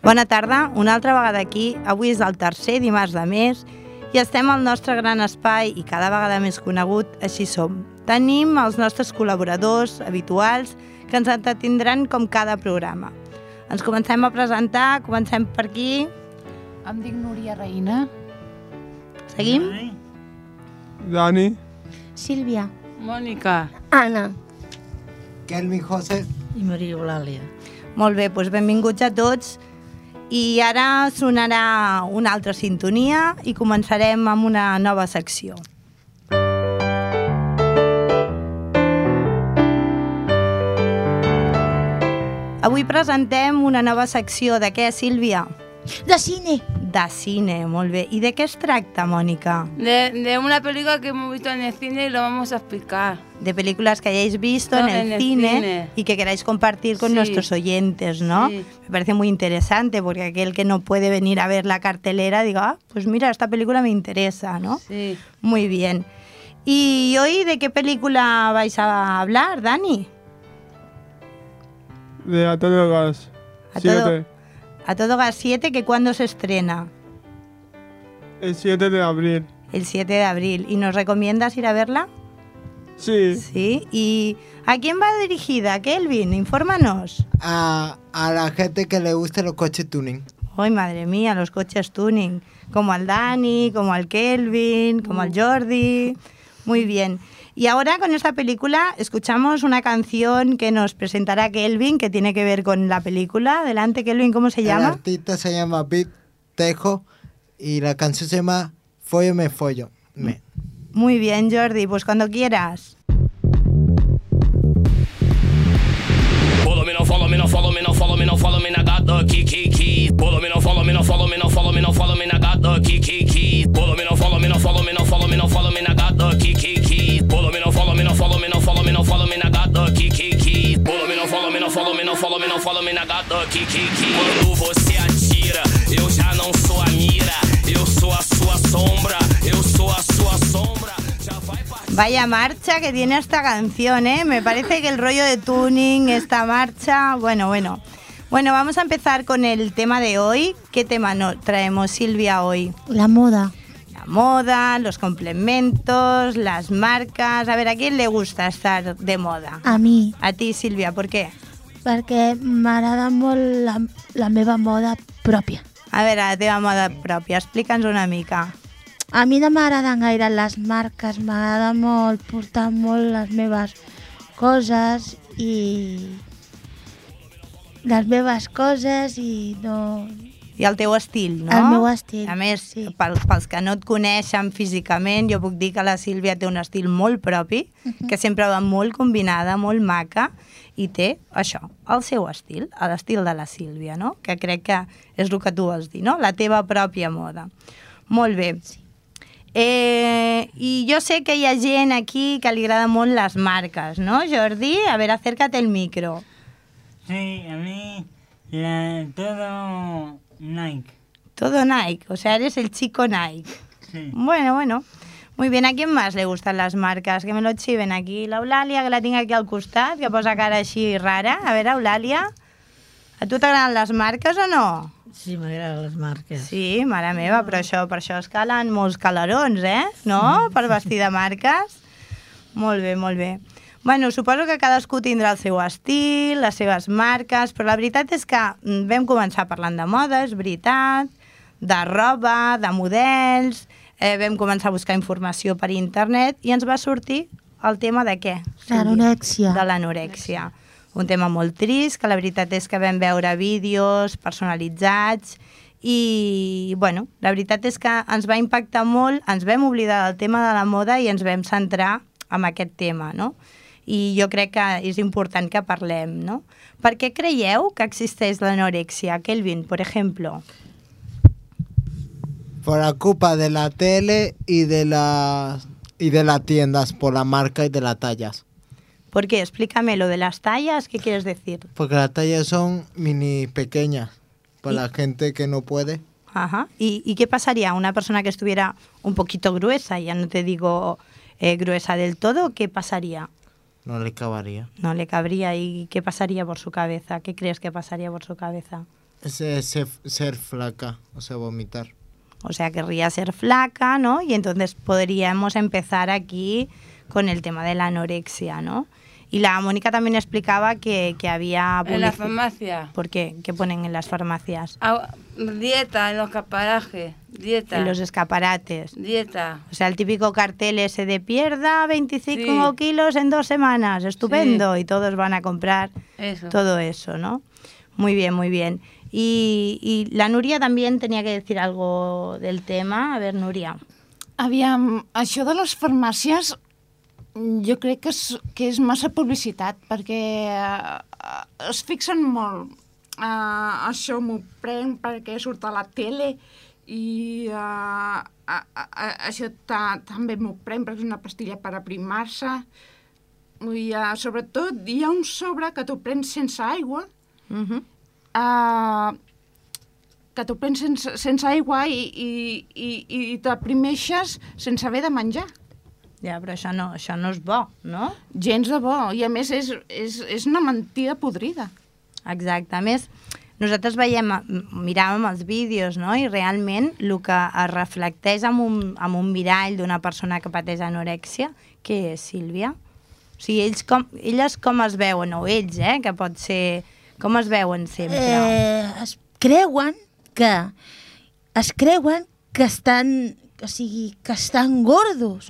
Bona tarda, una altra vegada aquí. Avui és el tercer dimarts de mes i estem al nostre gran espai i cada vegada més conegut, Així som. Tenim els nostres col·laboradors habituals que ens entretindran com cada programa. Ens comencem a presentar, comencem per aquí. Em dic Núria Reina. Seguim? Dani. Sílvia. Mònica. Anna. Kelvin José. I Maria Eulàlia. Molt bé, doncs benvinguts a tots. I ara sonarà una altra sintonia i començarem amb una nova secció. Avui presentem una nova secció de què, Sílvia? De cine. De cine, molt bé. I de què es tracta, Mónica? De una película que hemos visto en el cine y lo vamos a explicar. De películas que hayáis visto en el cine y que queráis compartir con nuestros oyentes, ¿no? Sí. Me parece muy interesante porque aquel que no puede venir a ver la cartelera diga, pues mira, esta película me interesa, ¿no? Sí. Muy bien. ¿Y hoy de qué película vais a hablar, Dani? De A Todo Gas 7. A Todo Gas 7, ¿que cuándo se estrena? El 7 de abril. El 7 de abril. ¿Y nos recomiendas ir a verla? Sí. Sí. ¿Y a quién va dirigida, Kelvin? Infórmanos. A la gente que le guste los coches tuning. ¡Ay, madre mía, los coches tuning! Como al Dani, como al Kelvin, como al Jordi. Muy bien. Y ahora con esta película escuchamos una canción que nos presentará Kelvin, que tiene que ver con la película. Adelante, Kelvin, ¿cómo se llama? El artista se llama Big Tejo y la canción se llama Follo me follo. Me. Muy bien, Jordi, pues cuando quieras. Follow me, no follow me, no follow me, no follow me, no follow me, I got the key. Follow me, no follow me, no follow me, no follow me, no follow me, I got the key. Follow me, no follow me, no follow me, no follow me, no follow me, I got the key. Follow me, no follow me, no follow me, no follow me, no follow me, I got the key. Follow me, no follow me, no follow me, no follow me, no follow me, I got the key. Quando você atira, eu já não sou a mira, eu sou a sua sombra, eu sou a sua sombra. Vaya marcha que tiene esta canción, ¿eh? Me parece que el rollo de tuning, esta marcha... Bueno, vamos a empezar con el tema de hoy. ¿Qué tema traemos, Silvia, hoy? La moda. La moda, los complementos, las marcas... A ver, ¿a quién le gusta estar de moda? A mi. A ti, Sílvia, ¿por què? Perquè m'agrada molt la meva moda pròpia. A veure, la teva moda pròpia, explica'ns una mica. A mi no m'agraden gaire les marques, m'agrada molt portar molt les meves coses i no... I el teu estil, no? El meu estil, a més, sí. Pels que no et coneixen físicament, jo puc dir que la Sílvia té un estil molt propi, que sempre va molt combinada, molt maca, i té això, el seu estil, l'estil de la Sílvia, no? Que crec que és el que tu vols dir, no? La teva pròpia moda. Molt bé. Sí. I jo sé que hi ha gent aquí que li agrada molt les marques, ¿no, Jordi? A ver, acércate el micro. Sí, a mí todo Nike. Todo Nike, o sea, eres el chico Nike. Sí. Bueno. Muy bien, ¿a quién más le gustan las marcas? Que me lo chiven aquí. La Eulàlia, que la tinc aquí al costat, que posa cara així rara. A veure, Eulàlia, a tu t'agraden les marques o no? Sí, m'agraden les marques. Sí, mare meva, però per això es calen molts calarons, no? Per vestir de marques. Molt bé. Bueno, suposo que cadascú tindrà el seu estil, les seves marques, però la veritat és que vam començar parlant de moda, és veritat, de roba, de models, vam començar a buscar informació per internet i ens va sortir el tema de què? L'anorèxia. De l'anorèxia. Un tema molt trist, que la veritat és que vam veure vídeos personalitzats i, bueno, la veritat és que ens va impactar molt, ens vam oblidar del tema de la moda i ens vam centrar en aquest tema, no? I jo crec que és important que parlem, no? Per què creieu que existeix l'anorèxia, Kelvin, per exemple? Por la culpa de la tele y de las tiendas, por la marca y de las tallas. ¿Por qué? Explícame lo de las tallas, ¿qué quieres decir? Porque las tallas son mini pequeñas para la gente que no puede. Ajá. ¿Y qué pasaría? Una persona que estuviera un poquito gruesa, ya no te digo gruesa del todo, ¿qué pasaría? No le cabría. No le cabría. ¿Y qué pasaría por su cabeza? ¿Qué crees que pasaría por su cabeza? ser flaca, o sea, vomitar. O sea, querría ser flaca, ¿no? Y entonces podríamos empezar aquí con el tema de la anorexia, ¿no? Y la Mónica también explicaba que había... En la farmacia. ¿Por qué? ¿Qué ponen en las farmacias? Dieta, en los escaparajes. Dieta. En los escaparates. Dieta. O sea, el típico cartel ese de pierda 25 kilos en 2 semanas. Estupendo. Sí. Y todos van a comprar todo eso, ¿no? Muy bien, muy bien. Y la Núria també tenia que dir algo del tema. A veure, Núria. Aviam, això de les farmàcies jo crec que és massa publicitat, perquè es fixen molt. Això m'ho prenc perquè surt a la tele i això també m'ho prenc perquè és una pastilla per aprimar-se. Sobretot hi ha un sobre que t'ho prens sense aigua, que t'ho prens sense aigua i t'aprimeixes sense haver de menjar. Ja, però això no és bo, no? Gens de bo, i a més és una mentida podrida. Exacte, a més, nosaltres miràvem els vídeos, no? I realment el que es reflecteix en un mirall d'una persona que pateix anorèxia, què és, Sílvia? O sigui, elles com es veuen, o ells, que pot ser... Com es veuen sempre? Es creuen que estan, o sigui, que estan gordos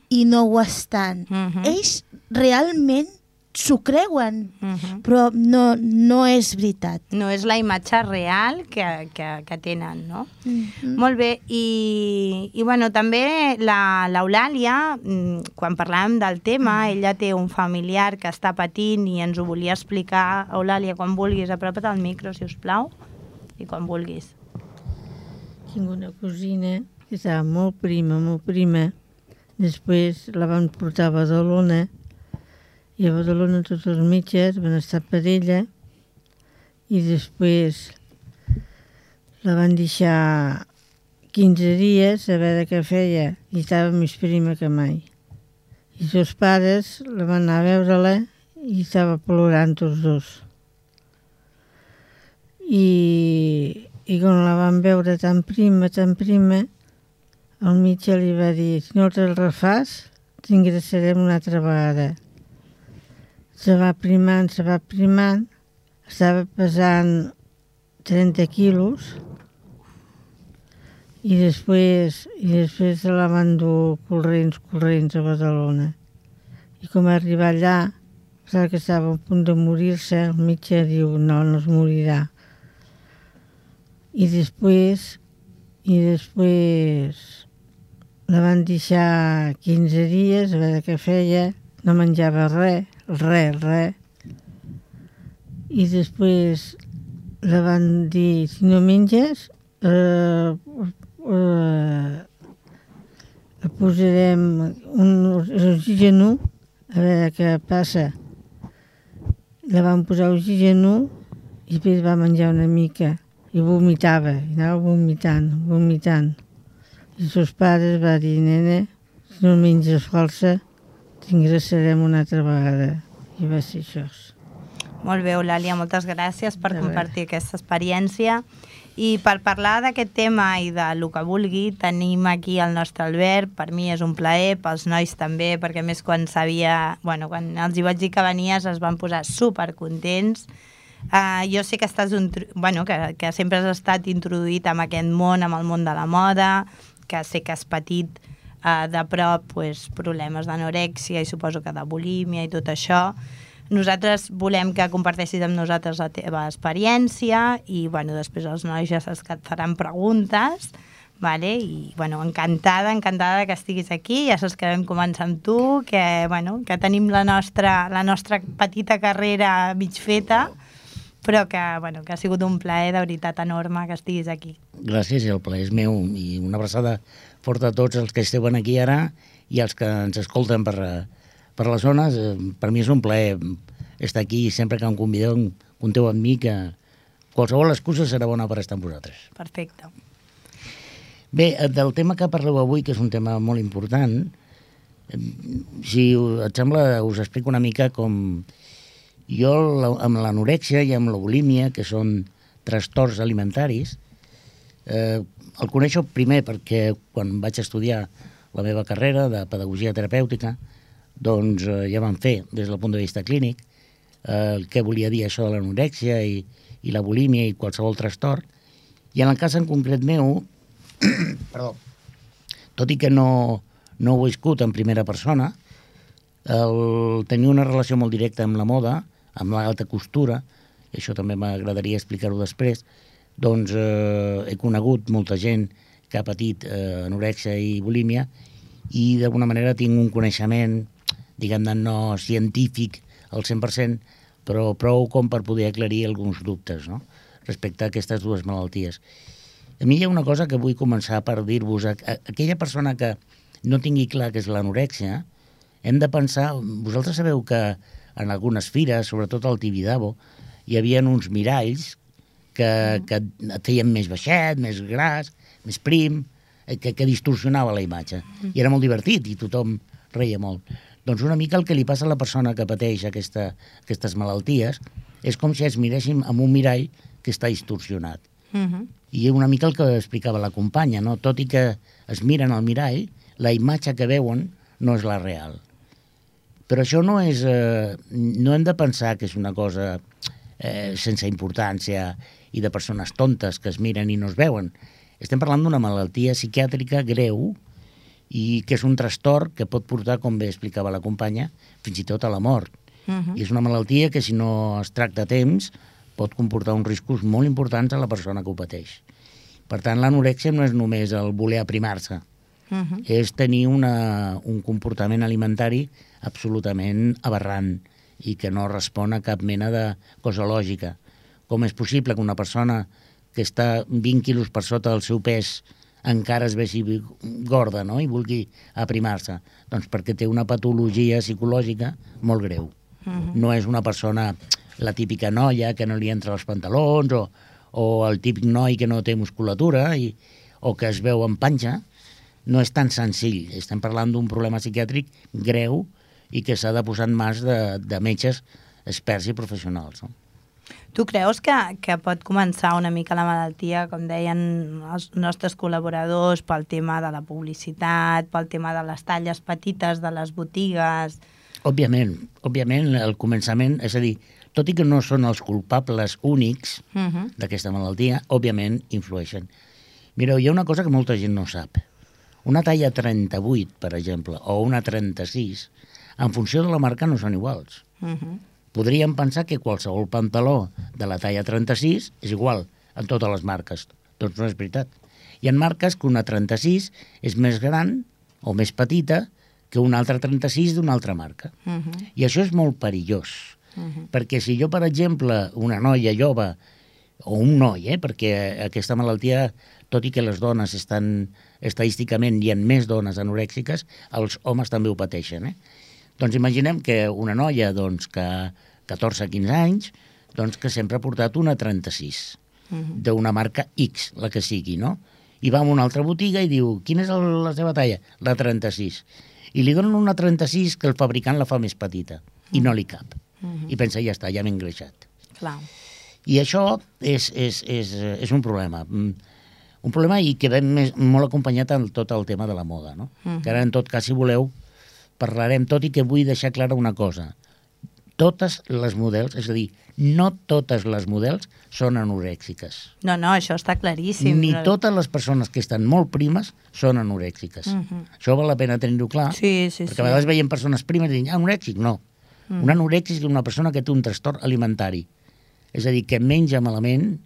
i no ho estan. Ells realment s'ho creuen, però no és veritat. No és la imatge real que tenen, no? Molt bé, i bueno, també l'Eulàlia, quan parlàvem del tema, ella té un familiar que està patint i ens ho volia explicar. Eulàlia, quan vulguis, apropa't al micro, si us plau, i quan vulguis. Tinc una cosina que estava molt prima. Després la van portar a Badalona, i a Badalona tots els metges van estar per ella, i després la van deixar 15 dies a veure què feia, i estava més prima que mai. I els seus pares la van anar a veure-la i estava plorant tots dos. I quan la van veure tan prima, el metge li va dir: si no te'l refàs, t'ingressarem una altra vegada. Se va primant, estava pesant 30 quilos i després se la van dur corrents a Badalona. I com va arribar allà, pensava que estava a punt de morir-se, el metge diu: no es morirà. I després la van deixar 15 dies a veure què feia, no menjava res. I després la van dir: si no menges, posarem un oxigen a veure què passa. La van posar oxigen i després va menjar una mica i vomitava, i anava vomitant. I els seus pares van dir: nena, si no menges força, t'ingressarem una altra vegada. I va ser això. Molt bé, Eulàlia, moltes gràcies per compartir aquesta experiència. I per parlar d'aquest tema i del que vulgui, tenim aquí el nostre Albert. Per mi és un plaer, pels nois també, perquè a més quan quan els hi vaig dir que venies es van posar supercontents. Jo sé que que sempre has estat introduït en aquest món, amb el món de la moda, que sé que has patit de prop problemes d'anorèxia i suposo que de bulímia i tot això. Nosaltres volem que comparteixis amb nosaltres la teva experiència i després els nois ja saps que et faran preguntes, i encantada que estiguis aquí. Ja saps que vam començar amb tu, que tenim la nostra petita carrera mig feta, però que ha sigut un plaer de veritat enorme que estiguis aquí. Gràcies, el plaer és meu, i una abraçada forta a tots els que esteu aquí ara i els que ens escolten per les zones. Per mi és un plaer estar aquí, i sempre que em convideu, compteu amb mi, que qualsevol excusa serà bona per estar amb vosaltres. Perfecte. Bé, del tema que parleu avui, que és un tema molt important, si et sembla, us explico una mica com jo amb l'anorèxia i amb la bulímia, que són trastorns alimentaris. El coneixo primer perquè quan vaig estudiar la meva carrera de pedagogia terapèutica, doncs ja vam fer, des del punt de vista clínic, què volia dir això de l'anorèxia i la bulímia i qualsevol trastorn. I en el cas en concret meu, perdó, tot i que no ho he viscut en primera persona, tenir una relació molt directa amb la moda, amb l'alta costura, i això també m'agradaria explicar-ho després, doncs he conegut molta gent que ha patit anorèxia i bulímia i d'alguna manera tinc un coneixement, diguem-ne, no científic al 100%, però prou com per poder aclarir alguns dubtes, no?, respecte a aquestes dues malalties. A mi hi ha una cosa que vull començar per dir-vos. Aquella persona que no tingui clar què és l'anorèxia, hem de pensar... Vosaltres sabeu que en algunes fires, sobretot al Tibidabo, hi havia uns miralls que et feien més baixet, més gras, més prim, que distorsionava la imatge. I era molt divertit i tothom reia molt. Doncs una mica el que li passa a la persona que pateix aquestes malalties és com si es miréssim amb un mirall que està distorsionat. I una mica el que explicava la companya, no? Tot i que es miren al mirall, la imatge que veuen no és la real. Però això no és... no hem de pensar que és una cosa sense importància i de persones tontes que es miren i no es veuen. Estem parlant d'una malaltia psiquiàtrica greu i que és un trastorn que pot portar, com bé explicava la companya, fins i tot a la mort. I és una malaltia que, si no es tracta a temps, pot comportar uns riscos molt importants a la persona que ho pateix. Per tant, l'anorèxia no és només el voler aprimar-se, és tenir un comportament alimentari absolutament aberrant i que no respon a cap mena de cosa lògica. Com és possible que una persona que està 20 quilos per sota del seu pes encara es vegi gorda, no?, i vulgui aprimar-se? Doncs perquè té una patologia psicològica molt greu. No és una persona, la típica noia que no li entra als pantalons o el típic noi que no té musculatura o que es veu en panxa. No és tan senzill. Estem parlant d'un problema psiquiàtric greu i que s'ha de posar en mans de metges experts i professionals, no? Tu creus que pot començar una mica la malaltia, com deien els nostres col·laboradors, pel tema de la publicitat, pel tema de les talles petites de les botigues? Òbviament, el començament, és a dir, tot i que no són els culpables únics d'aquesta malaltia, òbviament influeixen. Mireu, hi ha una cosa que molta gent no sap. Una talla 38, per exemple, o una 36, en funció de la marca no són iguals. Podríem pensar que qualsevol pantaló de la talla 36 és igual en totes les marques. Doncs no és veritat. Hi ha marques que una 36 és més gran o més petita que una altra 36 d'una altra marca. I això és molt perillós. Perquè si jo, per exemple, una noia jove, o un noi, perquè aquesta malaltia, tot i que les dones estan estadísticament, hi ha més dones anorèxiques, els homes també ho pateixen, Doncs imaginem que una noia que 14-15 anys, que sempre ha portat una 36, d'una marca X, la que sigui, no? I va a una altra botiga i diu, quina és la seva talla? La 36. I li donen una 36 que el fabricant la fa més petita, i no li cap. I pensa, ja està, ja m'he engreixat. Clar. I això és un problema. Un problema i que ve molt acompanyat amb tot el tema de la moda, no? Que ara, en tot cas, si voleu, parlarem, tot i que vull deixar clara una cosa. Totes les models, és a dir, no totes les models són anorèxiques. No, això està claríssim. Ni totes les persones que estan molt primes són anorèxiques. Això val la pena tenir-ho clar, perquè a vegades veiem persones primes i diuen, anorèxic, no. Un anorèxic és una persona que té un trastorn alimentari. És a dir, que menja malament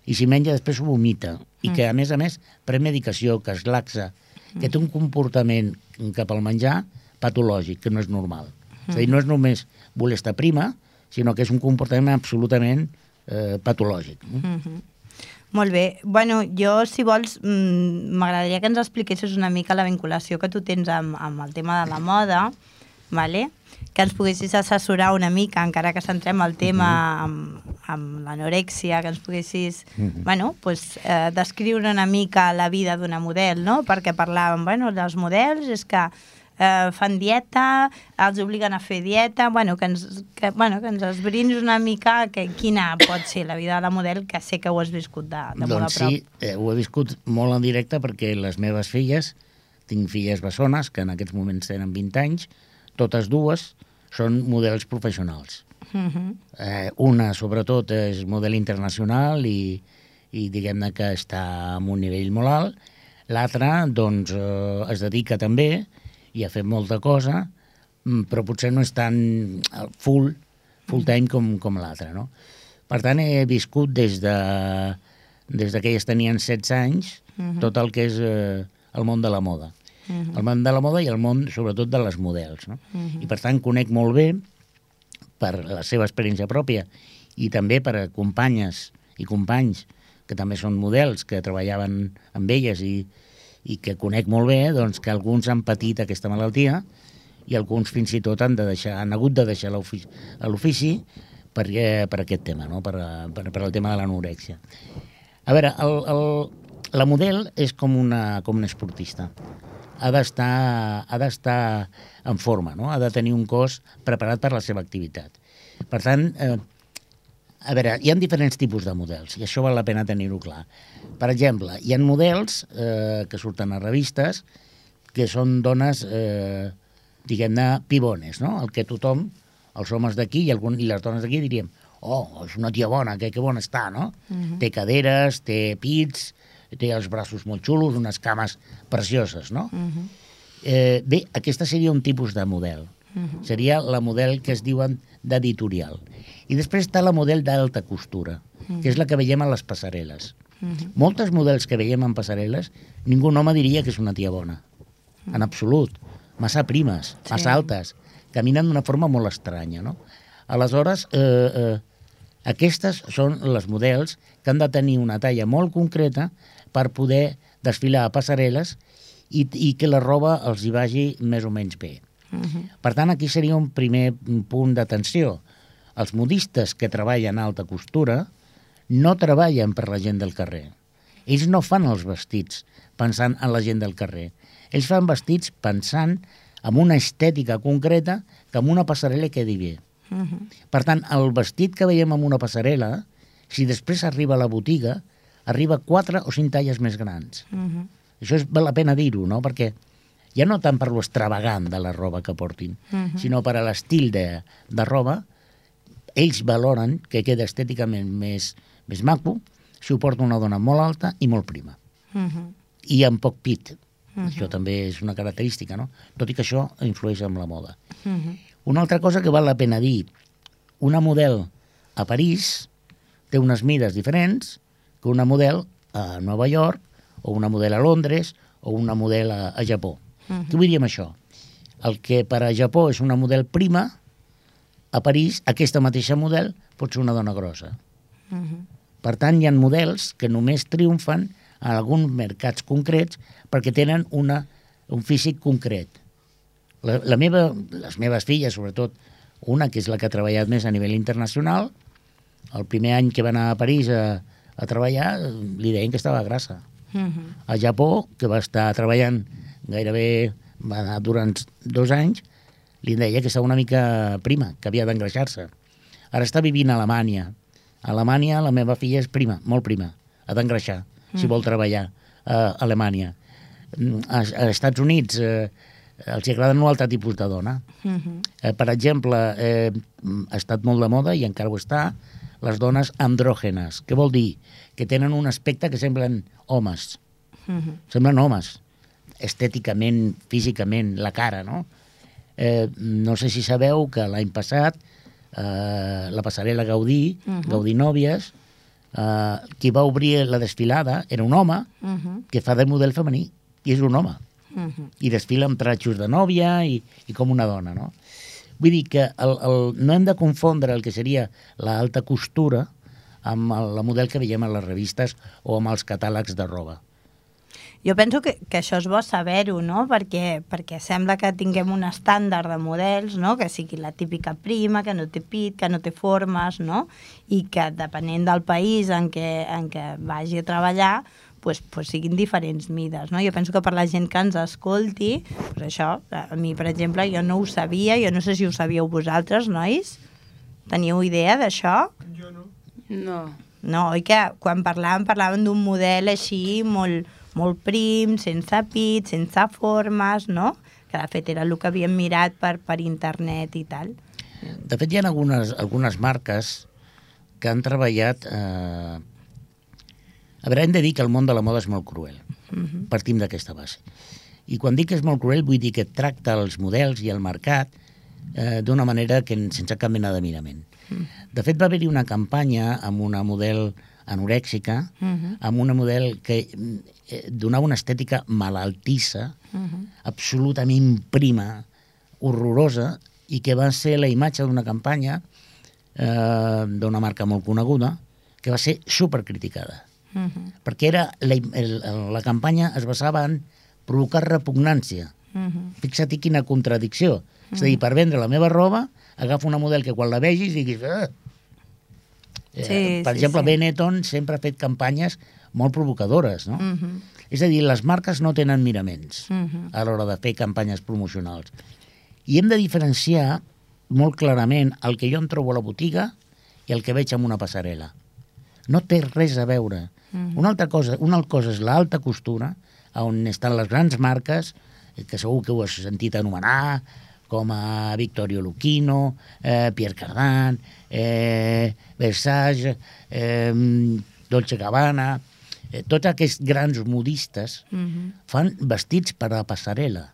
i si menja després ho vomita. I que, a més, pren medicació, que es laxa, que té un comportament cap al menjar patològic, que no és normal. És a dir, no és només voler estar prima, sinó que és un comportament absolutament patològic. Molt bé. Bueno, jo, si vols, m'agradaria que ens expliquessis una mica la vinculació que tu tens amb el tema de la moda, vale? Que ens poguessis assessorar una mica, encara que centrem el tema amb l'anorèxia, que ens poguessis descriure una mica la vida d'una model, no? Perquè parlàvem, dels models, és que fan dieta, els obliguen a fer dieta, que ens esbrinis una mica quina pot ser la vida de la model, que sé que ho has viscut de molt a prop. Doncs sí, ho he viscut molt en directe perquè les meves filles, tinc filles bessones que en aquests moments tenen 20 anys, totes dues són models professionals. Una, sobretot, és model internacional i diguem-ne que està en un nivell molt alt. L'altra, doncs, es dedica també i ha fet molta cosa, però potser no és tan full time com l'altra, no? Per tant, he viscut des que elles tenien 16 anys tot el que és el món de la moda. El món de la moda i el món, sobretot, de les models, no? I, per tant, conec molt bé, per la seva experiència pròpia i també per companyes i companys que també són models, que treballaven amb elles i que conec molt bé, doncs que alguns han patit aquesta malaltia i alguns fins i tot han hagut de deixar l'ofici per aquest tema, no? per el tema de l'anorèxia. A veure, la model és com una esportista. Ha d'estar en forma, no? Ha de tenir un cos preparat per la seva activitat. Per tant, a veure, hi ha diferents tipus de models, i això val la pena tenir-ho clar. Per exemple, hi ha models que surten a revistes que són dones, diguem-ne, pibones, no? El que tothom, els homes d'aquí i les dones d'aquí diríem és una tia bona, que bona està, no? Té caderes, té pits, té els braços molt xulos, unes cames precioses, no? Bé, aquesta seria un tipus de model. Seria la model que es diuen d'editorial. I després està la model d'alta costura, que és la que veiem a les passarel·les. Moltes models que veiem en passarel·les, ningú home diria que és una tia bona. En absolut. Massa primes, massa altes. Caminen d'una forma molt estranya, no? Aleshores, aquestes són les models que han de tenir una talla molt concreta per poder desfilar a passarel·les i que la roba els hi vagi més o menys bé. Per tant, aquí seria un primer punt d'atenció. Els modistes que treballen a alta costura no treballen per la gent del carrer. Ells no fan els vestits pensant en la gent del carrer. Ells fan vestits pensant en una estètica concreta que en una passarel·la quedi bé. Per tant, el vestit que veiem en una passarel·la, si després arriba a la botiga, arriba 4 o 5 talles més grans. Això val la pena dir-ho, no? Perquè ja no tant per l'extravagant de la roba que portin, sinó per a l'estil de roba, ells valoren que queda estèticament més maco si ho porta una dona molt alta i molt prima. I amb poc pit. Això també és una característica, no? Tot i que això influeix en la moda. Una altra cosa que val la pena dir, una model a París té unes mides diferents que una model a Nova York, o una model a Londres, o una model a Japó. Què vull dir amb això? El que per a Japó és una model prima, a París, aquesta mateixa model pot ser una dona grossa. Per tant, hi ha models que només triomfen en alguns mercats concrets perquè tenen un físic concret. Les meves filles, sobretot una que és la que ha treballat més a nivell internacional, el primer any que va anar a París a treballar, li deien que estava grassa. A Japó, que va estar treballant gairebé, va anar durant 2 anys, li deia que estava una mica prima, que havia d'engreixar-se. Ara està vivint a Alemanya. A Alemanya la meva filla és prima, molt prima, ha d'engreixar, si vol treballar a Alemanya. Als Estats Units els agraden un altre tipus de dona. Per exemple, ha estat molt de moda, i encara ho està, les dones andrògenes. Què vol dir? Que tenen un aspecte que semblen homes. Semblen homes. Estèticament, físicament, la cara, no? No sé si sabeu que l'any passat la passarel·la Gaudí, Gaudí Nòvies, qui va obrir la desfilada era un home que fa de model femení, i és un home. I desfila amb tratxos de nòvia i com una dona, no? Vull dir que no hem de confondre el que seria l'alta costura amb la model que veiem a les revistes o amb els catàlegs de roba. Jo penso que això és bo saber-ho, no? Perquè sembla que tinguem un estàndard de models, no? Que sigui la típica prima, que no té pit, que no té formes, no? I que depenent del país en què vagi a treballar, siguin diferents mides, no? Jo penso que per la gent que ens escolti, això, a mi, per exemple, jo no ho sabia, jo no sé si ho sabíeu vosaltres, nois? Teníeu idea d'això? Jo no. No. No, oi que quan parlàvem d'un model així molt prim, sense pit, sense formes, no? Que de fet era el que havíem mirat per internet i tal. De fet, hi ha algunes marques que han treballat... A veure, hem de dir que el món de la moda és molt cruel. Partim d'aquesta base. I quan dic que és molt cruel, vull dir que tracta els models i el mercat d'una manera que sense cap mena de mirament. De fet, va haver-hi una campanya amb una model anorèxica, amb una model que donava una estètica malaltissa, absolutament prima, horrorosa, i que va ser la imatge d'una campanya d'una marca molt coneguda que va ser supercriticada. Perquè la campanya es basava en provocar repugnància. Fixa't quina contradicció. És a dir, per vendre la meva roba, agafo una model que quan la vegis diguis... Per exemple, Benetton sempre ha fet campanyes molt provocadores, no? És a dir, les marques no tenen miraments a l'hora de fer campanyes promocionals. I hem de diferenciar molt clarament el que jo em trobo a la botiga i el que veig en una passarel·la. No té res a veure. Una cosa és l'alta costura, on estan les grans marques, que segur que ho has sentit anomenar, com a Vittorio Lucchino, Pierre Cardin, Versace, Dolce Gabbana, tots aquests grans modistes fan vestits per a la passarel·la.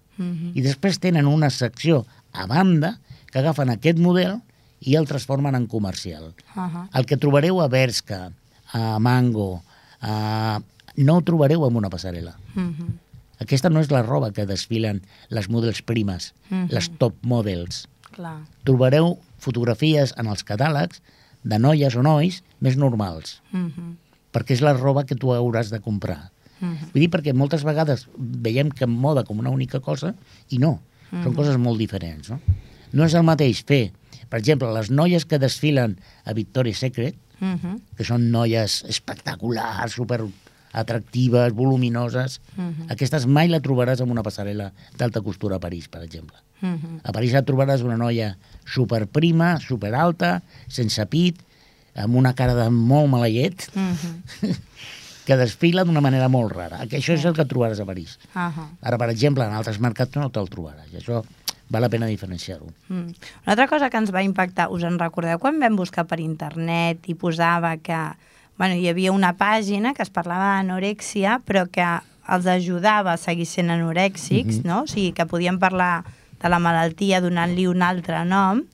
I després tenen una secció a banda que agafen aquest model i el transformen en comercial. El que trobareu a Bershka, a Mango, no ho trobareu en una passarel·la. Aquesta no és la roba que desfilen les models primes, les top models. Trobareu fotografies en els catàlegs de noies o nois més normals, perquè és la roba que tu hauràs de comprar. Vull dir, perquè moltes vegades veiem que en moda com una única cosa, i no, són coses molt diferents. No és el mateix fer, per exemple, les noies que desfilen a Victoria's Secret, que són noies espectaculars, super atractives, voluminoses, aquestes mai la trobaràs en una passarel·la d'alta costura a París, per exemple. A París la trobaràs una noia superprima, superalta, sense pit, amb una cara de molt maleït, que desfila d'una manera molt rara. Això és el que trobaràs a París. Ara, per exemple, en altres mercats no te'l trobaràs. I això val la pena diferenciar-ho. Una altra cosa que ens va impactar, us en recordeu quan vam buscar per internet i posava que hi havia una pàgina que es parlava d'anorèxia, però que els ajudava a seguir sent anorèxics, no? O sigui, que podien parlar de la malaltia donant-li un altre nom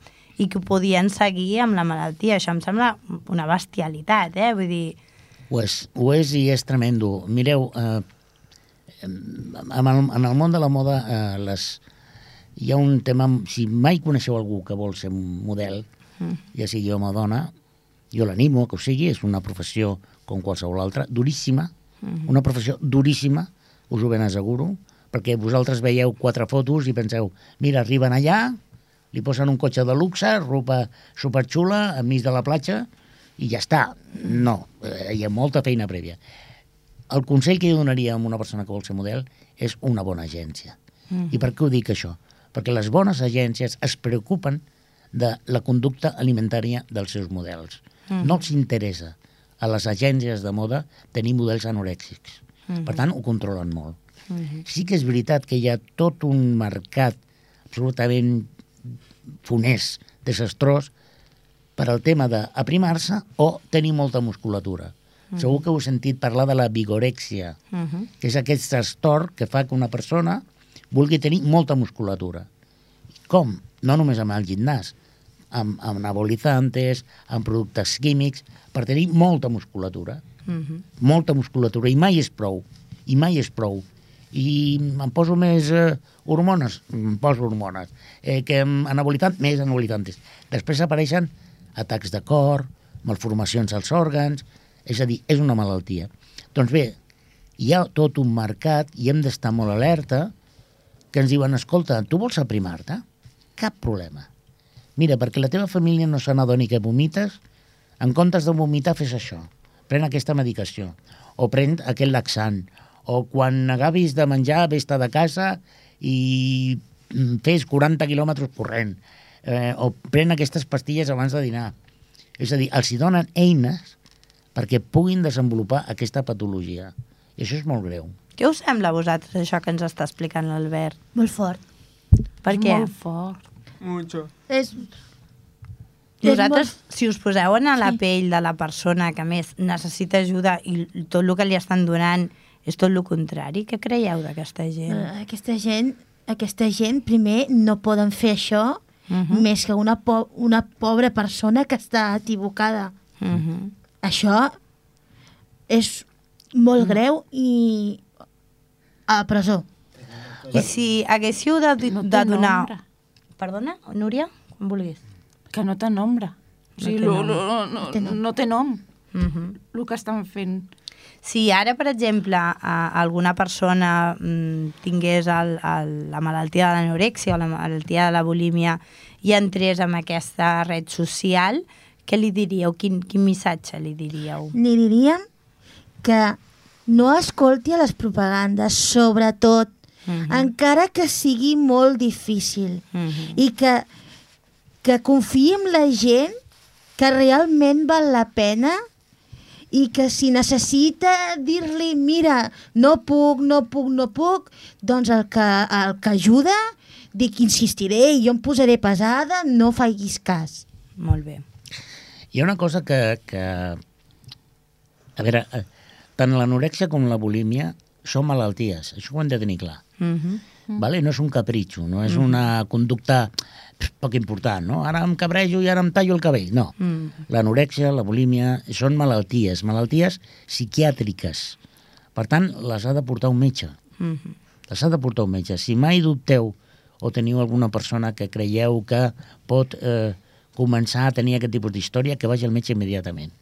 i que ho podien seguir amb la malaltia. Això em sembla una bestialitat, Vull dir... Ho és i és tremendo. Mireu, en el món de la moda hi ha un tema... Si mai coneixeu algú que vol ser un model, ja sigui home o dona, jo l'animo que ho sigui, és una professió com qualsevol altra, duríssima, una professió duríssima, us ho ben asseguro, perquè vosaltres veieu 4 fotos i penseu, mira, arriben allà, li posen un cotxe de luxe, roba superxula, enmig de la platja, i ja està. No, hi ha molta feina prèvia. El consell que jo donaria a una persona que vol ser model és una bona agència. I per què ho dic això? Perquè les bones agències es preocupen de la conducta alimentària dels seus models. No els interessa a les agències de moda tenir models anorèxics. Per tant, ho controlen molt. Sí que és veritat que hi ha tot un mercat absolutament funès, desastrós, per al tema d'aprimar-se o tenir molta musculatura. Segur que heu sentit parlar de la vigorèxia, que és aquest trastorn que fa que una persona vulgui tenir molta musculatura. Com? No només amb el gimnàs, amb anabolizantes, amb productes químics, per tenir molta musculatura. Molta musculatura, i mai és prou. I em poso més hormones? Em poso hormones. Que anabolizantes? Més anabolizantes. Després apareixen atacs de cor, malformacions als òrgans, és a dir, és una malaltia. Doncs bé, hi ha tot un mercat i hem d'estar molt alerta que ens diuen, escolta, tu vols aprimar-te? Cap problema. Mira, perquè la teva família no se n'adoni que vomites, en comptes de vomitar fes això. pren aquesta medicació, o pren aquest laxant, o quan acabis de menjar, vés-te de casa i fes 40 quilòmetres corrent, o pren aquestes pastilles abans de dinar. És a dir, els hi donen eines perquè puguin desenvolupar aquesta patologia. I això és molt greu. Què us sembla a vosaltres, això que ens està explicant l'Albert? Molt fort. Per què? Molt fort. Mucho. Vosaltres, si us poseu en la pell de la persona que més necessita ajuda i tot el que li estan donant és tot el contrari, què creieu d'aquesta gent? Aquesta gent, primer, no poden fer això més que una pobra persona que està equivocada. Això és molt greu i a la presó. I si haguéssiu de donar... nombre. Perdona, Núria? Com vulguis. Que no té nombre. O sigui, no té nom. El que estan fent. Si ara, per exemple, alguna persona tingués la malaltia de l'anorèxia o la malaltia de la bulímia i entrés en aquesta red social, què li diríeu? Quin missatge li diríeu? Li diríem que no escolti a les propagandes, sobretot, encara que sigui molt difícil, i que confiï en la gent que realment val la pena i que si necessita dir-li mira, no puc, doncs el que ajuda, dic, insistiré i jo em posaré pesada, no facis cas. Molt bé. Hi ha una cosa que a veure, tant l'anorèxia com la bulímia són malalties, això ho hem de tenir clar. Vale? No és un capritxo, no és una conducta poc important, no? Ara em cabrejo i ara em tallo el cabell. No. L'anorèxia, la bulímia, són malalties psiquiàtriques. Per tant, les ha de portar un metge. Les ha de portar un metge. Si mai dubteu o teniu alguna persona que creieu que pot començar a tenir aquest tipus d'història, que vagi al metge immediatament.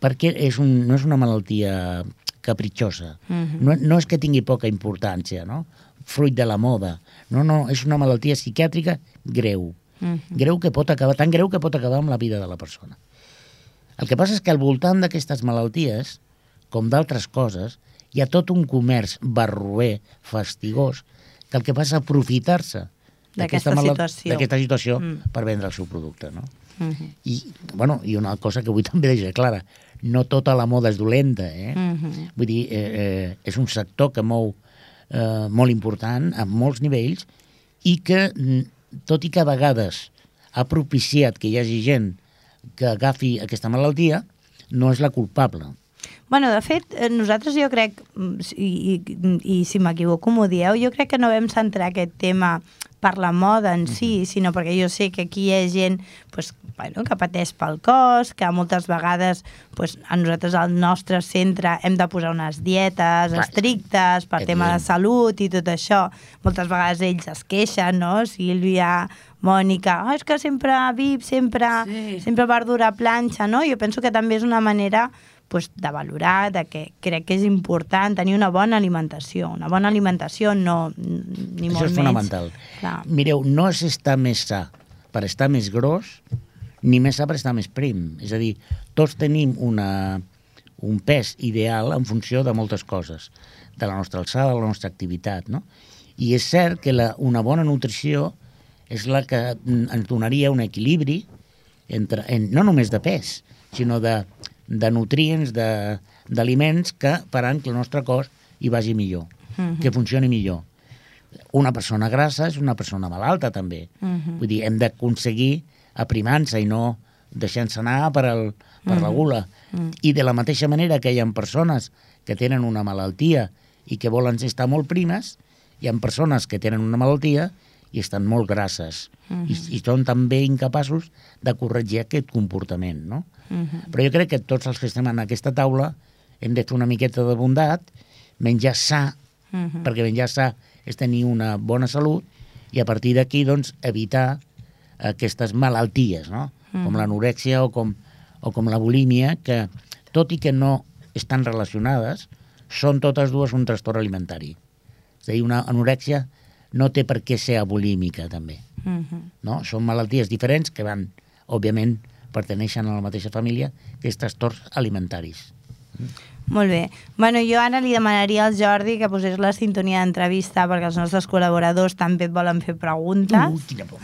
Perquè no és una malaltia capritxosa. No és que tingui poca importància, no? Fruit de la moda. No, és una malaltia psiquiàtrica greu. Greu que pot acabar, tan greu que pot acabar amb la vida de la persona. El que passa és que al voltant d'aquestes malalties, com d'altres coses, hi ha tot un comerç barroer, fastigós, que el que fa és aprofitar-se d'aquesta situació per vendre el seu producte, no? I una cosa que vull també deixar clara, no tota la moda és dolenta, Vull dir, és un sector que mou molt important a molts nivells i que, tot i que a vegades ha propiciat que hi hagi gent que agafi aquesta malaltia, no és la culpable. Bueno, de fet, nosaltres jo crec, i si m'equivoco m'ho dieu, jo crec que no vam centrar aquest tema per la moda en si, sinó perquè jo sé que aquí hi ha gent que pateix pel cos, que moltes vegades a nosaltres al nostre centre hem de posar unes dietes estrictes per tema de salut i tot això. Moltes vegades ells es queixen, no? Sílvia, Mònica, és que sempre VIP, sempre verdura a planxa, no? Jo penso que també és una manera de valorar, que crec que és important tenir una bona alimentació. Una bona alimentació no, ni molt menys. Això és fonamental. Mireu, no és estar més sa per estar més gros, ni més sa per estar més prim. És a dir, tots tenim un pes ideal en funció de moltes coses, de la nostra alçada, de la nostra activitat, no? I és cert que una bona nutrició és la que ens donaria un equilibri no només de pes, sinó de nutrients, d'aliments que faran que el nostre cos hi vagi millor, que funcioni millor. Una persona grassa és una persona malalta, també. Vull dir, hem d'aconseguir aprimar-se i no deixant-se anar per la gula. I de la mateixa manera que hi ha persones que tenen una malaltia i que volen estar molt primes, hi ha persones que tenen una malaltia i estan molt grasses i són també incapaços de corregir aquest comportament, no? Però jo crec que tots els que estem en aquesta taula hem de fer una miqueta de bondat, menjar sa, perquè menjar sa és tenir una bona salut i a partir d'aquí, doncs, evitar aquestes malalties, no? Com l'anorèxia o com la bulímia, que tot i que no estan relacionades, són totes dues un trastorn alimentari. És a dir, una anorèxia no té per què ser abulímica, també. No? Són malalties diferents que van, òbviament, perteneixen a la mateixa família, que és trastorns alimentaris. Molt bé. Bueno, jo ara li demanaria al Jordi que posés la sintonia d'entrevista perquè els nostres col·laboradors també et volen fer preguntes. Quina por.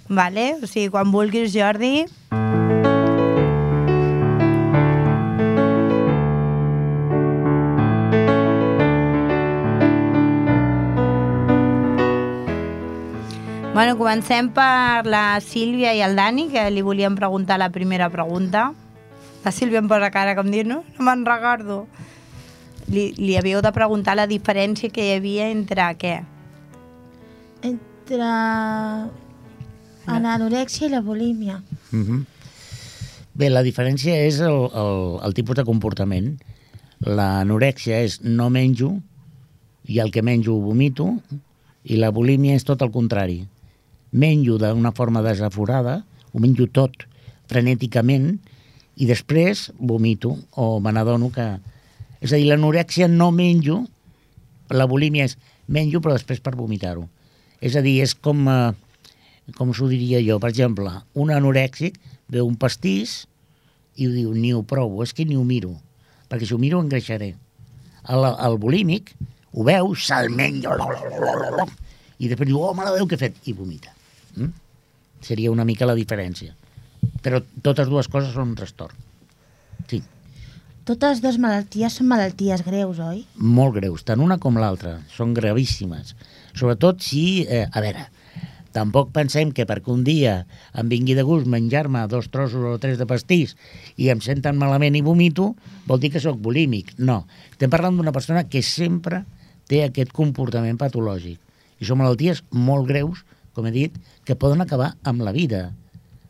Vale? O sigui, quan vulguis, Jordi. Bueno, comencem per la Sílvia i el Dani, que li volíem preguntar la primera pregunta. La Sílvia em posa cara com dir, no me'n recordo. Li havíeu de preguntar la diferència que hi havia entre què? Entre l'anorèxia i la bulímia. Bé, la diferència és el tipus de comportament. L'anorèxia és no menjo i el que menjo ho vomito, i la bulímia és tot el contrari. Menjo d'una forma desaforada, ho menjo tot frenèticament i després vomito o me n'adono que... És a dir, l'anorèxia no menjo, la bulímia és menjo però després per vomitar-ho. És a dir, és com s'ho diria jo, per exemple, un anorèxic veu un pastís i ho diu, ni ho provo, és que ni ho miro, perquè si ho miro engreixaré. El bulímic ho veu, se'l menja, i després diu, oh, mare de Déu, què he fet? I vomita. Seria una mica la diferència. Però totes dues coses són un trastorn. Sí. Totes dues malalties són malalties greus, oi? Molt greus, tant una com l'altra. Són gravíssimes. Sobretot si, a veure, tampoc pensem que perquè un dia em vingui de gust menjar-me 2 trossos o 3 de pastís i em senten malament i vomito, vol dir que sóc bulímic. No. Estem parlant d'una persona que sempre té aquest comportament patològic. I són malalties molt greus, com he dit, que poden acabar amb la vida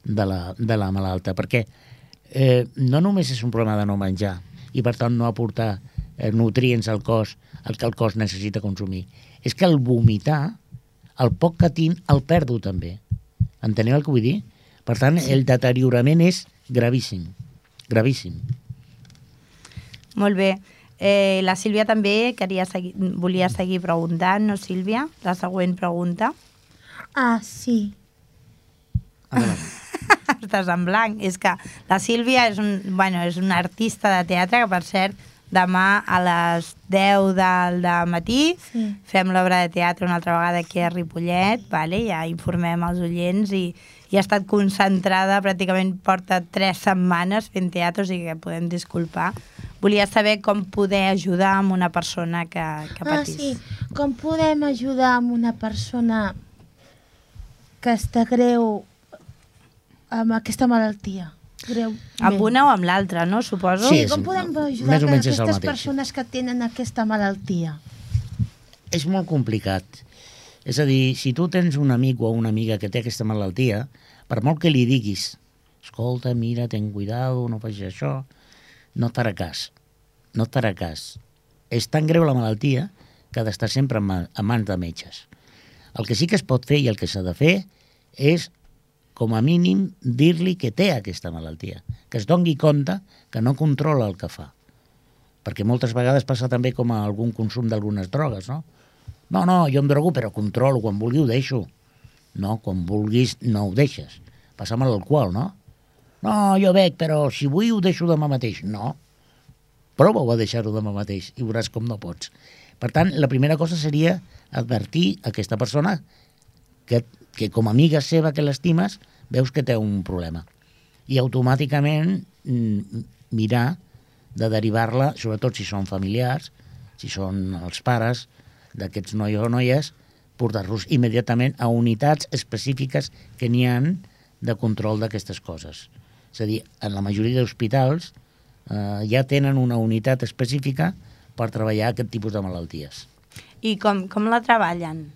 de la malalta, perquè no només és un problema de no menjar i per tant no aportar nutrients al cos, el que el cos necessita consumir. És que el vomitar, el poc que tinc, el perdo també. Enteneu el que vull dir? Per tant, el deteriorament és gravíssim. Gravíssim. Molt bé. La Sílvia també volia seguir preguntant, no, Sílvia? La següent pregunta. Ah, sí. Estàs en blanc. És que la Sílvia és una artista de teatre que, per cert, demà a les 10 del matí fem l'obra de teatre una altra vegada aquí a Ripollet, vale? Ja informem els oients i ha estat concentrada, pràcticament porta 3 setmanes fent teatre, o sigui que podem disculpar. Volia saber com poder ajudar amb una persona que patís. Sí. Com podem ajudar amb una persona que està greu amb aquesta malaltia? Greu. Amb una o amb l'altra, no? Suposo. Sí, com podem ajudar aquestes persones que tenen aquesta malaltia? És molt complicat. És a dir, si tu tens un amic o una amiga que té aquesta malaltia, per molt que li diguis, escolta, mira, ten cuidado, no facis això, no et farà cas. No et farà cas. És tan greu la malaltia que ha d'estar sempre en mans de metges. El que sí que es pot fer i el que s'ha de fer és, com a mínim, dir-li que té aquesta malaltia, que es doni compte que no controla el que fa. Perquè moltes vegades passa també com a algun consum d'algunes drogues, no? No, jo em drogo però controlo, quan vulgui ho deixo. No, quan vulguis no ho deixes. Passa amb l'alcohol, no? No, jo bec, però si vull ho deixo demà mateix. No, prova-ho a deixar-ho demà mateix i veuràs com no pots. Per tant, la primera cosa seria advertir a aquesta persona que com a amiga seva que l'estimes, veus que té un problema. I automàticament mirar de derivar-la, sobretot si són familiars, si són els pares d'aquests nois o noies, portar-los immediatament a unitats específiques que n'hi ha de control d'aquestes coses. És a dir, en la majoria d'hospitals ja tenen una unitat específica per treballar aquest tipus de malalties. I com la treballen?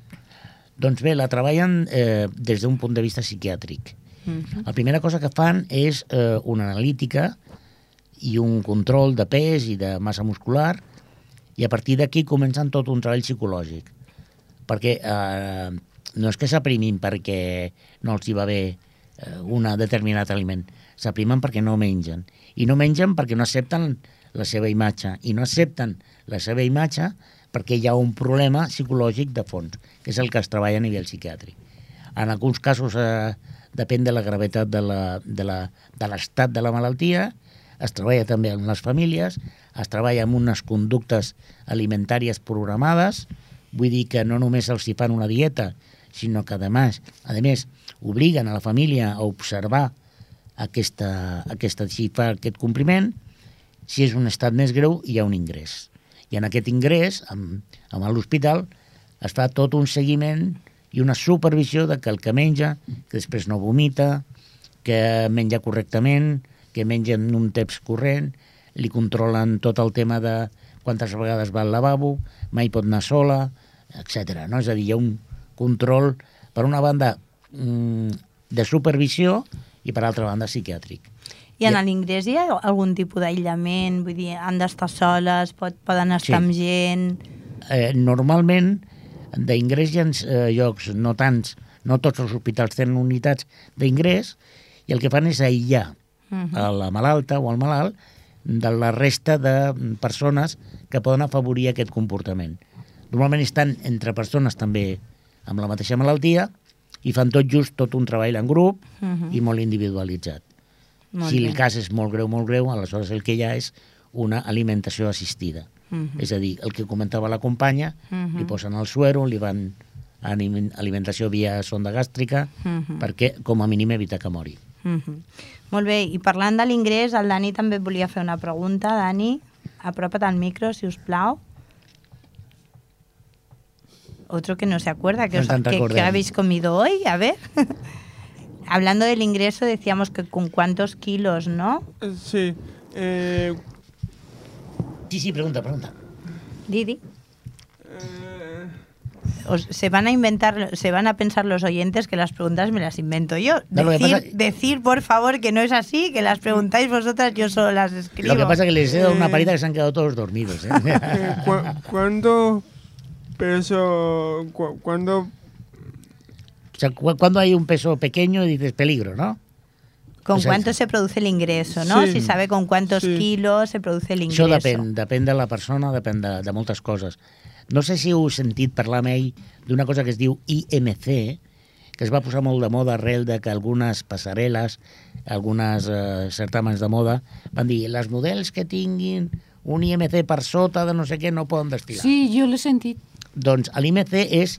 Doncs bé, la treballen des d'un punt de vista psiquiàtric. La primera cosa que fan és una analítica i un control de pes i de massa muscular, i a partir d'aquí comencen tot un treball psicològic. Perquè no és que s'aprimin perquè no els hi va bé un determinat aliment, s'aprimen perquè no mengen. I no mengen perquè no accepten la seva imatge. I no accepten la seva imatge perquè hi ha un problema psicològic de fons, que és el que es treballa a nivell psiquiàtric. En alguns casos depèn de la gravetat de l'estat de la malaltia, es treballa també amb les famílies, es treballa amb unes conductes alimentàries programades, vull dir que no només els hi fan una dieta, sinó que a més obliguen a la família a observar si fa aquest compliment. Si és un estat més greu, hi ha un ingrés. I en aquest ingrés, a l'hospital, es fa tot un seguiment i una supervisió de que el que menja, que després no vomita, que menja correctament, que menja en un temps corrent, li controlen tot el tema de quantes vegades va al lavabo, mai pot anar sola, etc. No? És a dir, hi ha un control, per una banda, de supervisió i per altra banda psiquiàtric. I en l'ingrés hi ha algun tipus d'aïllament? Vull dir, han d'estar soles, poden estar amb gent? Normalment, d'ingrés hi ha llocs, no tants, no tots els hospitals tenen unitats d'ingrés, i el que fan és aïllar a la malalta o al malalt de la resta de persones que poden afavorir aquest comportament. Normalment estan entre persones també amb la mateixa malaltia i fan tot un treball en grup i molt individualitzat. Si el cas és molt greu, aleshores el que hi ha és una alimentació assistida. És a dir, el que comentava la companya, li posen el suero, li van a alimentació via sonda gàstrica, perquè com a mínim evita que mori. Molt bé, i parlant de l'ingrés, el Dani també et volia fer una pregunta. Dani, apropa't al micro, si us plau. Otro que no se acuerda, que habéis comido hoy, a ver. Hablando del ingreso, decíamos que con cuántos kilos, ¿no? Sí. Sí, pregunta. Didi. Se van a pensar los oyentes que las preguntas me las invento yo. Decir, por favor, que no es así, que las preguntáis vosotras, yo solo las escribo. Lo que pasa es que les he dado una parita que se han quedado todos dormidos. ¿Cuándo peso? ¿Cuándo? O sea, cuando hay un peso pequeño dices peligro, ¿no? ¿Con cuánto se produce el ingreso, no? Si sabe con cuántos kilos se produce el ingreso. Això depèn de la persona, depèn de moltes coses. No sé si heu sentit parlar mai d'una cosa que es diu IMC, que es va posar molt de moda arrel de que algunes passarel·les, algunes certàmens de moda, van dir, les models que tinguin un IMC per sota de no sé què no poden desfilar. Sí, jo l'he sentit. Doncs l'IMC és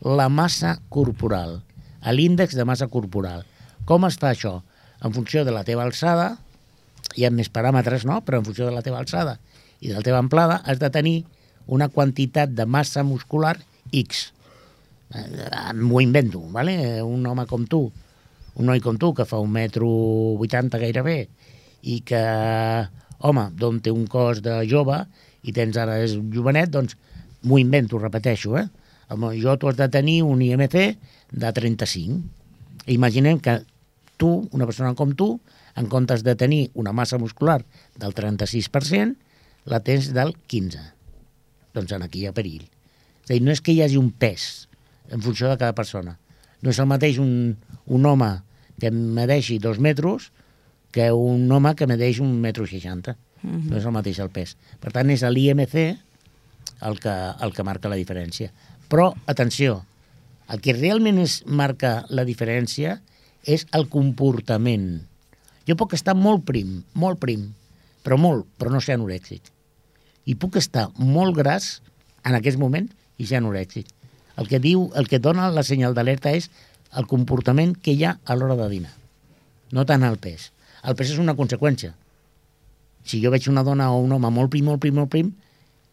la massa corporal, l'índex de massa corporal. Com es fa això? En funció de la teva alçada, hi ha més paràmetres, no? Però en funció de la teva alçada i de la teva amplada has de tenir una quantitat de massa muscular X. M'ho invento, ¿vale? Un home com tu, un noi com tu, que fa 1,80 m gairebé, i que, home, doncs té un cos de jove, i tens ara és jovenet, doncs m'ho invento, repeteixo, Jo tu has de tenir un IMC de 35. Imaginem que tu, una persona com tu, en comptes de tenir una massa muscular del 36%, la tens del 15%. Doncs aquí hi ha perill. És a dir, no és que hi hagi un pes en funció de cada persona. No és el mateix un home que medeixi 2 metres que un home que medeix 1,60 m. No és el mateix el pes. Per tant, és l'IMC el que marca la diferència. Però, atenció, el que realment marca la diferència és el comportament. Jo puc estar molt prim, però no ser anorèxic. I puc estar molt gras en aquest moment i ser anorèxic. El que dona la senyal d'alerta és el comportament que hi ha a l'hora de dinar, no tant el pes. El pes és una conseqüència. Si jo veig una dona o un home molt prim,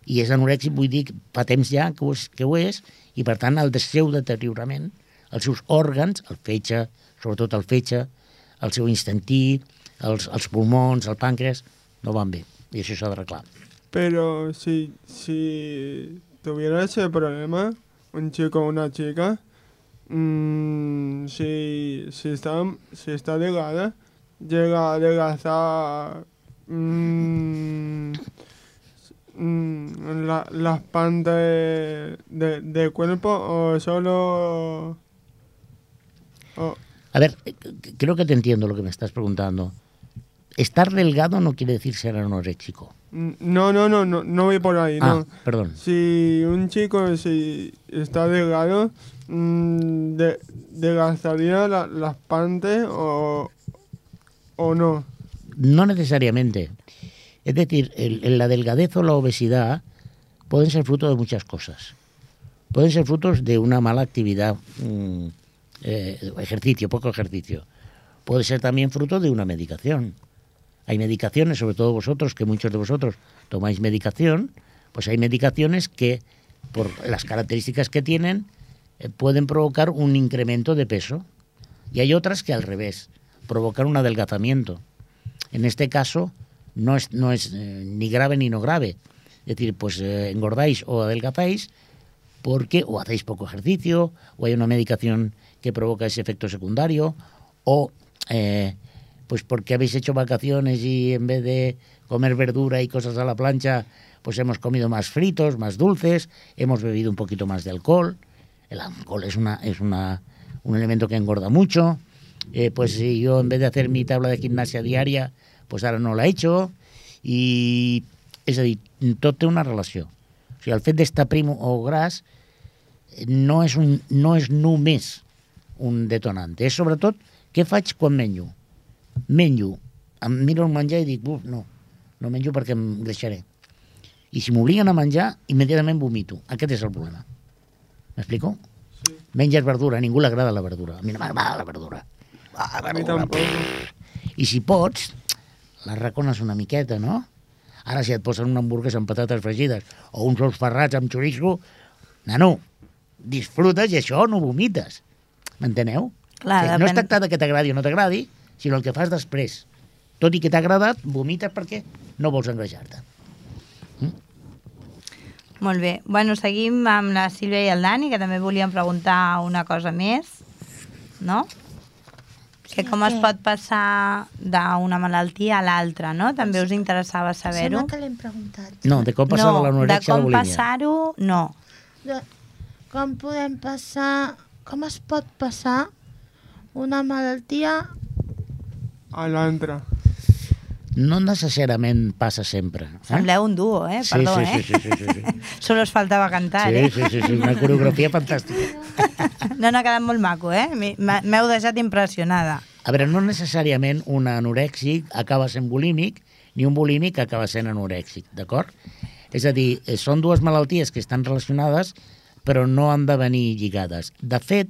i és anorèxic, vull dir que fa temps ja que ho és, i per tant el seu deteriorament, els seus òrgans, el fetge, sobretot el fetge, el seu intestí, els pulmons, el pàncreas, no van bé, i això s'ha d'arreglar. Pero si tuviera ese problema, un chico o una chica, si está delgada, llega a adelgazar las partes del cuerpo o solo... A ver, creo que te entiendo lo que me estás preguntando. Estar delgado no quiere decir ser anoréxico. No voy por ahí, no. Perdón. Si un chico si está delgado, ¿desgastaría las panties o no? No necesariamente. Es decir, la delgadez o la obesidad pueden ser fruto de muchas cosas. Pueden ser frutos de una mala actividad, poco ejercicio. Puede ser también fruto de una medicación. Hay medicaciones, sobre todo vosotros, que muchos de vosotros tomáis medicación, pues hay medicaciones que, por las características que tienen, pueden provocar un incremento de peso. Y hay otras que al revés, provocan un adelgazamiento. En este caso, no es ni grave ni no grave. Es decir, pues engordáis o adelgazáis porque o hacéis poco ejercicio, o hay una medicación que provoca ese efecto secundario, o pues porque habéis hecho vacaciones y en vez de comer verdura y cosas a la plancha, pues hemos comido más fritos, más dulces, hemos bebido un poquito más de alcohol. El alcohol es un elemento que engorda mucho. Pues si yo en vez de hacer mi tabla de gimnasia diària, pues ara no l'he hecho. I, és a dir, tot té una relació. O sigui, el fet d'estar prim o gras no és només un detonant. És sobretot què faig quan menjo. Menjo, em miro el menjar i dic, no menjo perquè em greixaré. I si m'obliguen a menjar, immediatament vomito. Aquest és el problema. M'explico? Sí. Menges verdura, a ningú li agrada la verdura. A mi no m'agrada la verdura. A mi tampoc. I si pots, la racones una miqueta, no? Ara si et posen una hamburguesa amb patates fregides o uns ous ferrats amb xoriço, nano, disfrutes i això no vomites. M'enteneu? Clar, no es tracta que t'agradi o no t'agradi, sinó el que fas després. Tot i que t'ha agradat, vomites perquè no vols engreixar-te. Molt bé. Bueno, seguim amb la Sílvia i el Dani, que també volíem preguntar una cosa més, no? Que com es pot passar d'una malaltia a l'altra, no? També us interessava saber-ho. Sembla que l'hem preguntat. No, de com passar de l'anorèxia a la bulímia. De com passar-ho, no. Com podem passar... Com es pot passar una malaltia a l'altra? No necessàriament passa sempre. Sembleu un duo, perdó, sí. Solo us faltava cantar, Sí, una coreografia fantàstica. No, ha quedat molt maco, M'heu deixat impressionada. A veure, no necessàriament un anorèxic acaba sent bulímic, ni un bulímic acaba sent anorèxic, d'acord? És a dir, són dues malalties que estan relacionades, però no han de venir lligades. De fet,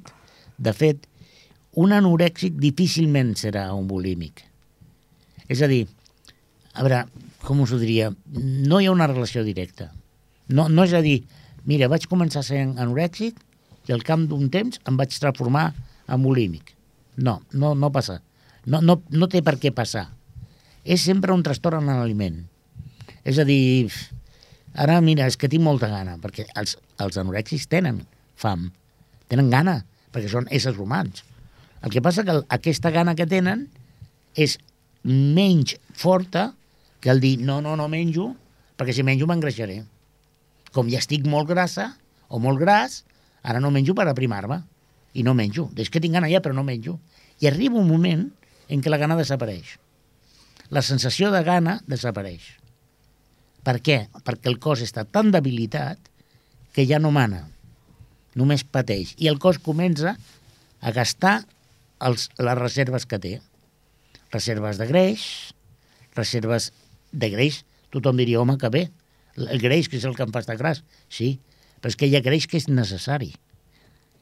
un anorèxic difícilment serà un bulímic. És a dir, a veure, com us ho diria, no hi ha una relació directa. No és a dir, mira, vaig començar sent anorèxic i al cap d'un temps em vaig transformar en bulímic. No passa. No té per què passar. És sempre un trastorn en l'aliment. És a dir, ara, mira, és que tinc molta gana, perquè els anorèxics tenen fam, tenen gana, perquè són éssers humans. El que passa que aquesta gana que tenen és menys forta que el dir no menjo, perquè si menjo m'engreixaré. Com ja estic molt grassa o molt gras, ara no menjo per aprimar-me i no menjo. És que tinc gana ja, però no menjo. I arriba un moment en què la gana desapareix. La sensació de gana desapareix. Per què? Perquè el cos està tan debilitat que ja no mana, només pateix. I el cos comença a gastar les reserves que té. Reserves de greix, tothom diria, home, que bé, el greix que és el que em fa estar gras. Sí, però és que hi ha greix que és necessari.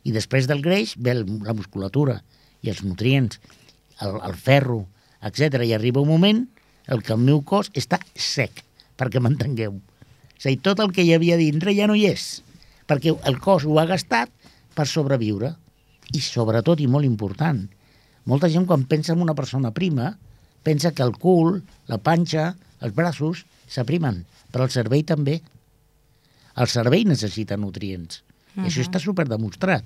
I després del greix ve la musculatura i els nutrients, el ferro, etc. I arriba un moment en què el meu cos està sec, perquè m'entengueu. És a dir, tot el que hi havia dintre ja no hi és, perquè el cos ho ha gastat per sobreviure. I sobretot, i molt important, molta gent quan pensa en una persona prima pensa que el cul, la panxa, els braços s'aprimen, però el cervell també. El cervell necessita nutrients. I això està superdemostrat.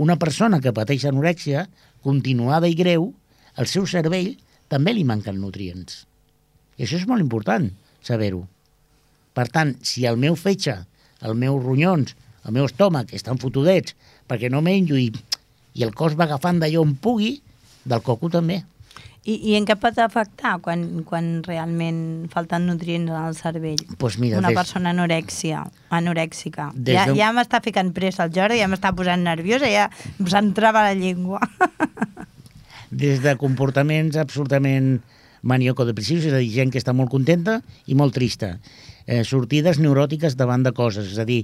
Una persona que pateix anorèxia, continuada i greu, al seu cervell també li manquen nutrients. I això és molt important, saber-ho. Per tant, si el meu fetge, els meus ronyons, el meu estómac estan fotudets perquè no menjo i el cos va agafant d'allò on pugui, del coco també. I en què pot afectar quan realment falten nutrients al cervell? Pues mira, una persona anorèxica. Ja m'està ficant pressa el Jordi, ja m'està posant nerviosa, ja se'm trava la llengua. Des de comportaments absolutament maniocodepressius, és a dir, gent que està molt contenta i molt trista. Sortides neuròtiques davant de coses, és a dir,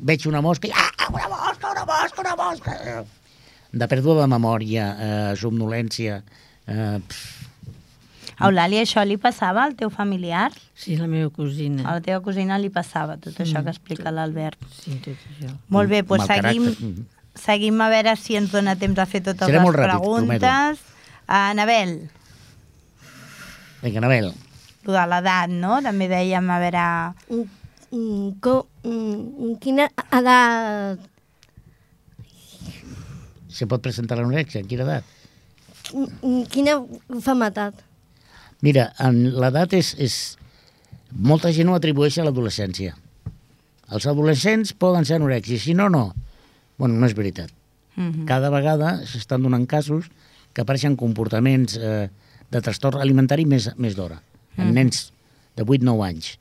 veig una mosca i una mosca! De pèrdua de memòria, somnolència... Eulàlia, això li passava al teu familiar? Sí, la meva cosina. A la teva cosina li passava tot això que explica l'Albert. Sí, tot això. Molt bé, doncs seguim a veure si ens dona temps a fer totes les preguntes. Anabel. Vinga, Anabel. Lo de l'edat, no? També dèiem, a veure... Quina edat... Se pot presentar l'anorèxia? En quina edat? Quina malaltia? Mira, l'edat és... Molta gent ho atribueix a l'adolescència. Els adolescents poden ser anorèxics, si no, no. Bueno, no és veritat. Cada vegada s'estan donant casos que apareixen comportaments de trastorn alimentari més d'hora, en nens de 8-9 anys.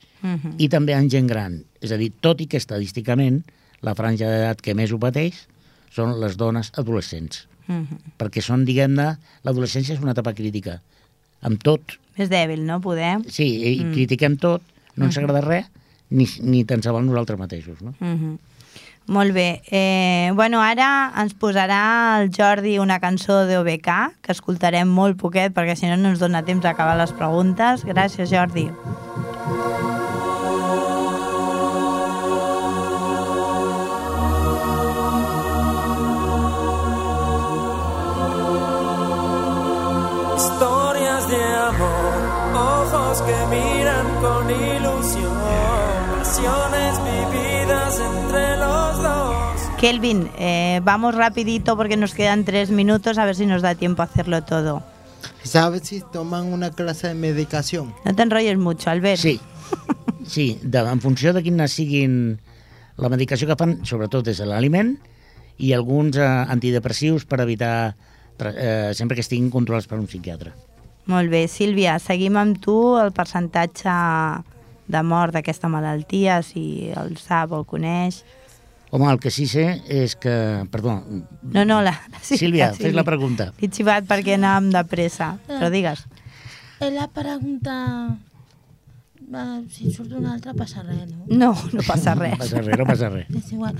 I també en gent gran. És a dir, tot i que estadísticament la franja d'edat que més ho pateix són les dones adolescents. Perquè són, diguem-ne, l'adolescència és una etapa crítica. Amb tot. Més dèbil, no? Poder. Sí, i critiquem tot, no ens agrada res, ni tan sols nosaltres mateixos, no? Molt bé. Bueno, ara ens posarà el Jordi una cançó d'OBK, que escoltarem molt poquet, perquè si no no ens dona temps d'acabar les preguntes. Gràcies, Jordi. Historias de amor, ojos que miran con ilusión, pasiones vividas entre los dos. Kelvin, vamos rapidito porque nos quedan 3 minutos, a ver si nos da tiempo a hacerlo todo. ¿Sabes si toman una clase de medicación? No te enrolles mucho, Albert. Sí, en funció de quina siguin la medicació que fan, sobretot és l'aliment i alguns antidepressius per evitar sempre que estiguin controlats per un psiquiatre. Molt bé. Sílvia, seguim amb tu el percentatge de mort d'aquesta malaltia, si el sap o el coneix. Home, el que sí sé és que... Perdó. No, Sílvia, fes la pregunta. He xivat perquè anàvem de pressa, però digues. La pregunta... Si surt una altra passa res, no? No passa res. No passa res. És igual.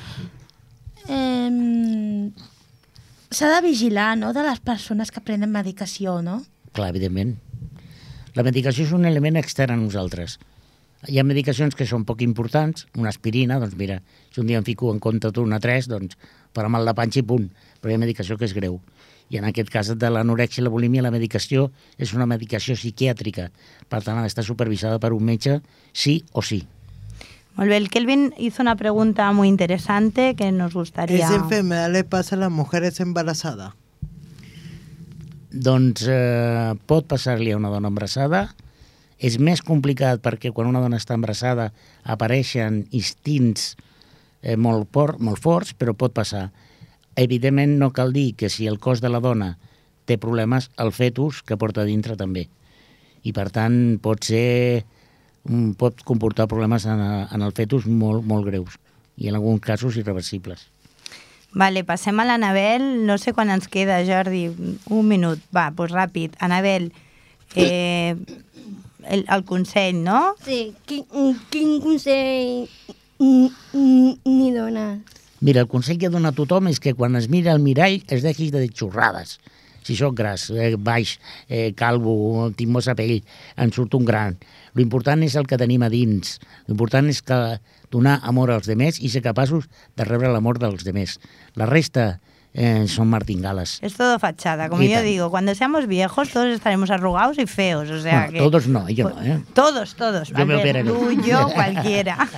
S'ha de vigilar, no?, de les persones que prenen medicació, no? Clar, evidentment. La medicació és un element extern a nosaltres. Hi ha medicacions que són poc importants, una aspirina, doncs mira, si un dia em fico en compte una 3, doncs farà mal de panxa i punt, però hi ha medicació que és greu. I en aquest cas de l'anorèxia i la bulímia, la medicació és una medicació psiquiàtrica, per tant ha d'estar supervisada per un metge, sí o sí. Molt bé, el Kelvin hizo una pregunta muy interesante que nos gustaría... ¿Esa enfermedad le pasa a las mujeres embarazadas? Doncs pot passar-li a una dona embarassada. És més complicat perquè quan una dona està embarassada apareixen instints molt forts, però pot passar. Evidentment no cal dir que si el cos de la dona té problemes, el fetus que porta dintre també. I per tant pot comportar problemes en el fetus molt greus i en alguns casos irreversibles. Vale, passem a l'Anabel. No sé quan ens queda, Jordi. 1 minut. Va, doncs ràpid. Anabel, el consell, no? Sí, quin consell ni dones? Mira, el consell que dona a tothom és que quan es mira al mirall es deixi de dir xorrades. Si sóc gras, baix, calvo, tinc mossa pell, en surt un gran. L'important és el que tenim a dins. L'important és donar amor als demés i ser capaços de rebre l'amor dels demés. La resta son martingales. Es todo fachada, como yo digo. Cuando seamos viejos todos estaremos arrugados y feos. O sea bueno, que... Todos no, yo no, ¿eh? Todos. Yo me operaré. Tú, yo, cualquiera.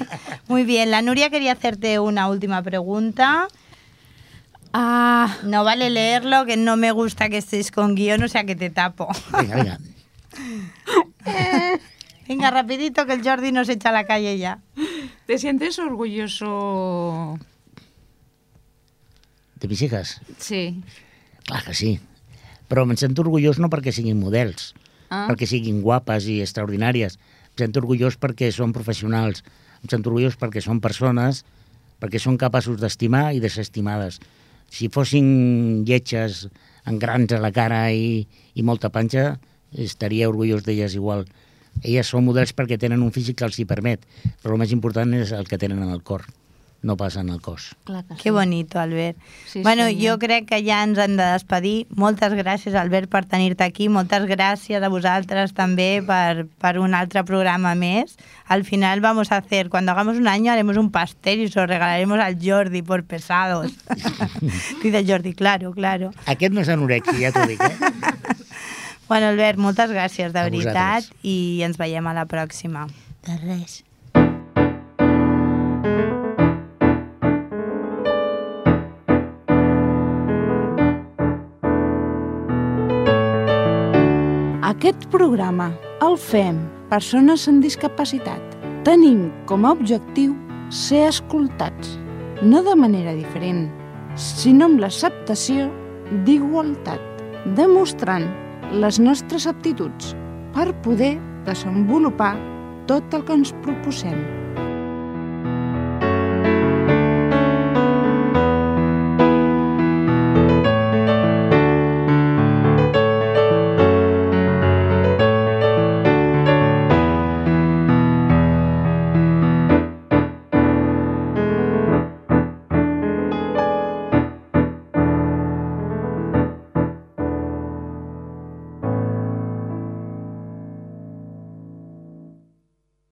Muy bien, la Nuria quería hacerte una última pregunta. No vale leerlo, que no me gusta que estés con guión, o sea que te tapo. Venga. Venga, rapidito, que el Jordi nos echa a la calle ya. ¿Te sientes orgulloso ¿De mis hijas? Sí. Clar que sí. Però em sento orgullós no perquè siguin models, perquè siguin guapes i extraordinàries. Em sento orgullós perquè són professionals. Em sento orgullós perquè són persones, perquè són capaços d'estimar i de ser estimades. Si fossin lletges amb grans a la cara i molta panxa, estaria orgullós d'elles igual. Elles són models perquè tenen un físic que els hi permet, però el més important és el que tenen en el cor, no pas en el cos. Que bonito, Albert. Bueno, jo crec que ja ens hem de despedir. Moltes gràcies, Albert, per tenir-te aquí. Moltes gràcies a vosaltres també per un altre programa més. Al final vamos a hacer, cuando hagamos un año, haremos un pastel y se lo regalaremos al Jordi por pesados. Dice Jordi, claro. Aquest no és anorexia, ja t'ho dic, Bueno, Albert, moltes gràcies, de veritat, i ens veiem a la pròxima. De res. Aquest programa el fem persones amb discapacitat. Tenim com a objectiu ser escoltats, no de manera diferent, sinó amb l'acceptació d'igualtat, demostrant les nostres aptituds per poder desenvolupar tot el que ens proposem.